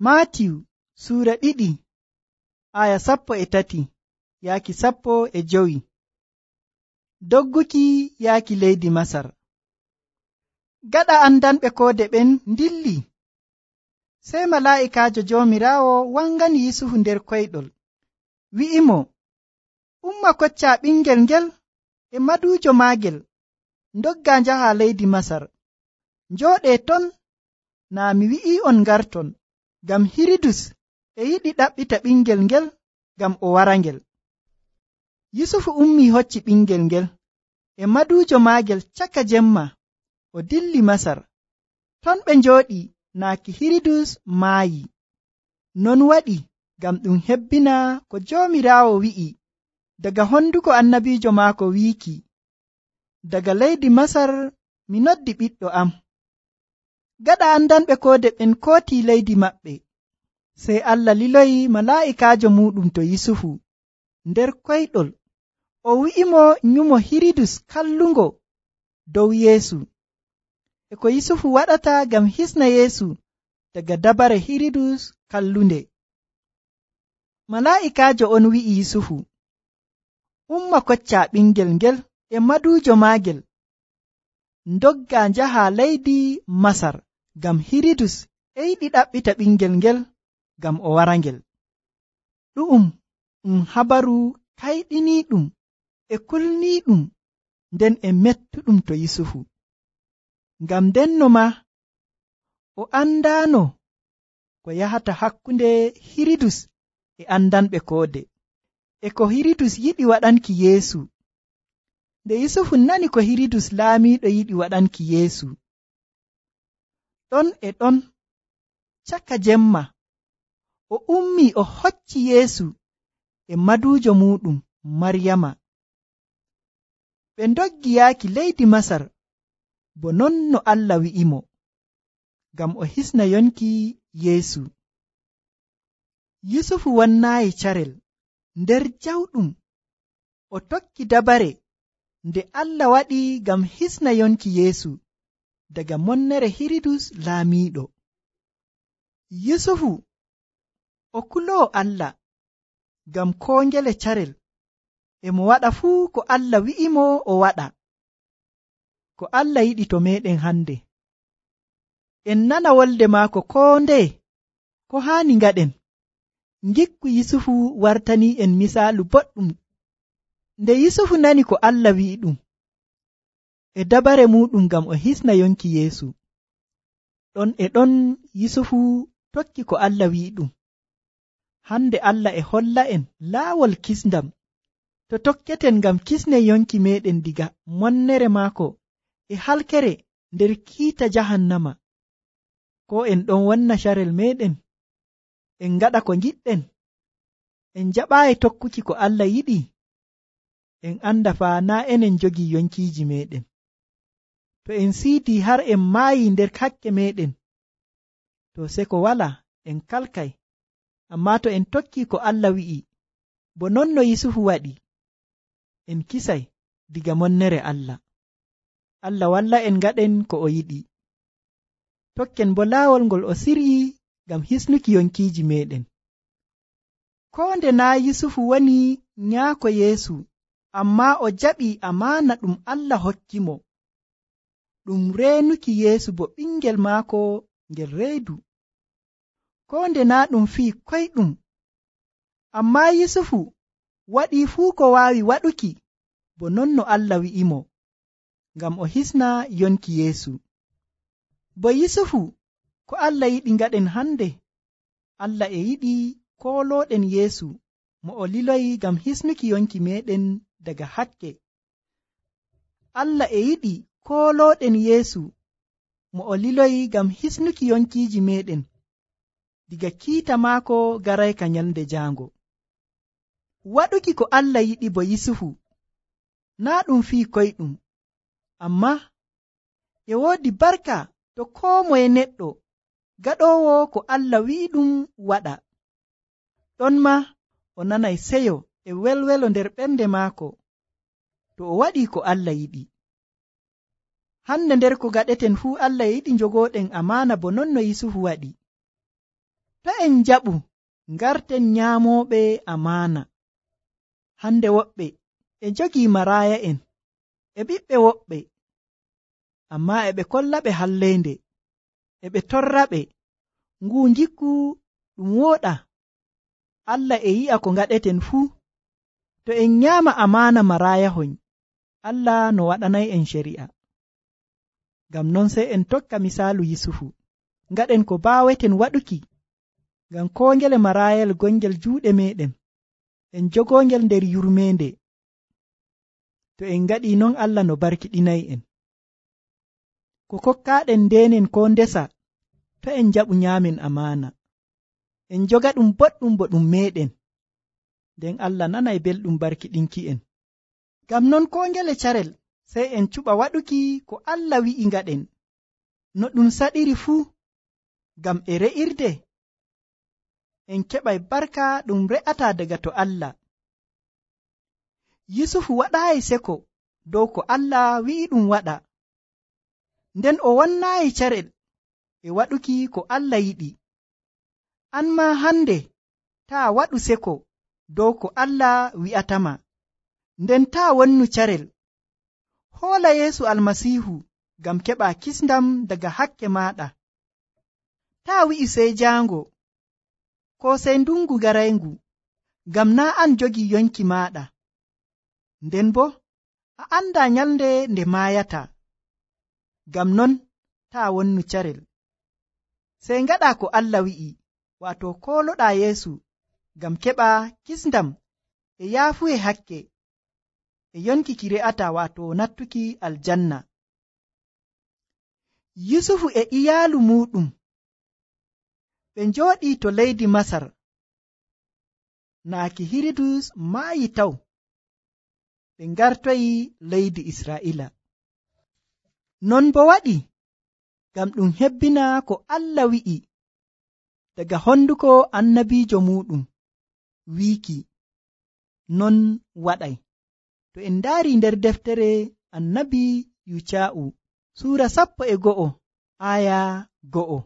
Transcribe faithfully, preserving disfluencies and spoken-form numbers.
Maatiyu suura ɗiɗi aya sappo e tati yaaki sappo e jowi. Dogguki yaaki leydi Masar. Gaɗa andanɓe koode ɓen ndilli, sey malaa'ikaajo Joomiraawo wangani Yusufu nder koyɗol, wi'imo, umma koccaa ɓingel ngel e maduujo maagel, ndogga njaha leydi Masar. Njooɗee ton, naa mi wi'i'on ngarton, ngam Hiridus e yiɗi ɗaɓɓita ɓingel ngel ngam o warangel. Yusufu ummii hocci ɓingel ngel e maduujo maagel caka jemma, o dilli Masar. Ton ɓe njooɗi naaki Hiridus maayi. Non waɗi ngam ɗum hebbina ko Joomiraawo wi'i daga honduko annabiijo maako wiiki, daga leydi Masar mi noddi ɓiɗɗo am. Gaɗa andanɓe koode ɓen kootii leydi maɓɓe, sey Allah liloyi malaa'ikaajo muuɗum to Yusufu nder koyɗol, o wi'imo nyumo Hiridus kallungo dow Yeesu, e ko Yusufu waɗata ngam hisna Yeesu daga dabare Hiridus kallunde. Malaa'ikaajo on wi'i Yusufu, umma koccaa ɓingel ngel e maduujo maagel, ndogga njaha leydi Masar, ngam Hiridus e yiɗi ɗaɓɓita ɓingel ngel ngam o warangel. Ɗu'um ɗum habaru kayɗiniiɗum e kulniiɗum nden e mettuɗum to Yusufu, ngam ndenno maa o andaano ko yahata hakkunde Hiridus e andanɓe koode, e ko Hiridus yiɗi waɗanki Yeesu. Nde Yusufu nani ko Hiridus laamiiɗo yiɗi waɗanki Yeesu, ɗon e ɗon caka jemma o ummii o hocci Yeesu e maduujo muuɗum Maryama. Ɓe ndoggi yaaki leydi Masar, bo non no Allah wi'imo, ngam o hisna yonki Yeesu. Yusufu wannaayi carel nder jawɗum, o tokki dabare nde Allah waɗi ngam hisna yonki Yeesu daga monnere Hiridus laamiiɗo. Yusufu o kuloo Allah, ngam koo ngele carel e mo waɗa fuu ko Allah wi'imo o waɗa. Ko Allah yiɗi to meeɗen hande, en nana wolde maako koo ndeye ko haani ngaɗen. Ngikku Yusufu wartanii en misaalu boɗɗum. Nde Yusufu nani ko Allah wi'i ɗum e dabare muuɗum ngam o hisna yonki Yeesu, ɗon e ɗon Yusufu tokki ko Allah wi'i ɗum. Hande Allah e holla en laawol kisndam to tokketen ngam kisnen yonki meeɗen diga monnere maako e halkere nder kiita jahannama. Ko en ɗon wonna carel meeɗen, en ngaɗa ko ngiɗɗen, en jaɓaayi tokkuki ko Allah yiɗi, en anda faa naa enen jogii yonkiiji meeɗen. To en siidii har en maayi nder hakke meeɗen, to seko walaa en kalkay. Ammaa to en tokkii ko Allah wi'i, bo non no Yusufu waɗi, en kisay diga monnere Allah. Allah walla en ngaɗen ko o yiɗi. Tokken bo laawol ngol o siryi ngam hisnuki yonkiiji meeɗen. Koo nde naa Yusufu woni nyaako Yeesu, ammaa o jaɓii amaana ɗum Allah hokkimo, ɗum reenuki Yeesu bo ɓingel maako ngel reedu. Koo nde naa ɗum fii koyɗum, ammaa Yusufu waɗii fuu ko waawi waɗuki bo non no Allah wi'imo, ngam o hisna yonki Yeesu. Bo Yusufu ko Allah yiɗi ngaɗen hande, Allah e yiɗi koolooɗen Yeesu mo o liloyi ngam hisnuki yonki meeɗen daga hakke. Allah e yiɗi koolooɗen Yeesu mo o liloyi ngam hisnuki yonkiiji meeɗen diga kiita maako garayka nyalnde jaango. Waɗuki ko Allah yiɗi bo Yusufu naa ɗum fii koyɗum, ammaa e woodi barka to koo moye neɗɗo gaɗoowo ko Allah wi'i ɗum waɗa. Ɗon maa o nanay seyo e welwelo nder ɓernde maako to o waɗii ko Allah yiɗi. Hande nder ko gaɗeten fuu Allah yiɗi njogooɗen amaana bo non no Yusufu waɗi. To en jaɓu ngarten nyaamoɓe amaana. Hande woɓɓe e jogii maraaya'en e ɓiɓɓe woɓɓe, ammaa e ɓe kollaɓe halleende, e ɓe torraɓe. Nguu ngikku ɗum wooɗa. Allah e yi'a ko ngaɗeten fuu. To en nyaama amaana maraayahon, Allah no waɗanay'en shari'a. Ngam non sey en tokka misaalu Yusufu, ngaɗen ko baaweten waɗuki, ngam koo ngele maraayal gongel juuɗe meeɗen, en jogoongel nder yurmeende. To en ngaɗii non, Allah no barkiɗinay'en. Ko kokkaaɗen ndeenen koo ndesa, to en njaɓu nyaamen amaana. En joga ɗum boɗɗum bo ɗum meeɗen, nden Allah nanay belɗum barkiɗinki'en. Ngam non koo ngele carel sey en cuɓa waɗuki ko Allah wi'i ngaɗen, no ɗum saɗiri fuu, ngam e re'irde en keɓay barka ɗum re'ataa daga to Allah. Yusufu waɗaayi seko dow ko Allah wi'i ɗum waɗa, nden o wonnaayi carel e waɗuki ko Allah yiɗi. An maa hande taa waɗu seko dow ko Allah wi'atama, nden taa wonnu carel. Hoola Yeesu Almasiihu ngam keɓa kisndam daga hakke maaɗa. Taa wi'i sey jaango, ko sey ndungu garayngu, ngam naa an jogii yonki maaɗa. Nden bo a andaa nyalnde nde maayata. Ngam non taa wonnu carel. Sey ngaɗa ko Allah wi'i, waato kooloɗaa Yeesu ngam keɓa kisndam e yaafuye hakke e yonki ki re'ata, waato nattuki aljanna. Yusufu e iyaalu muuɗum ɓe njooɗii to leydi Masar, naaki Hiridus maayi taw ɓe ngartoyi leydi Israa'ila. Non bo waɗi ngam ɗum hebbina ko Allah wi'i daga honduko annabiijo muuɗum, wiiki non waɗay. To en ndaari nder deftere annabi Yuca'u suura sappo e go'o aya go'o.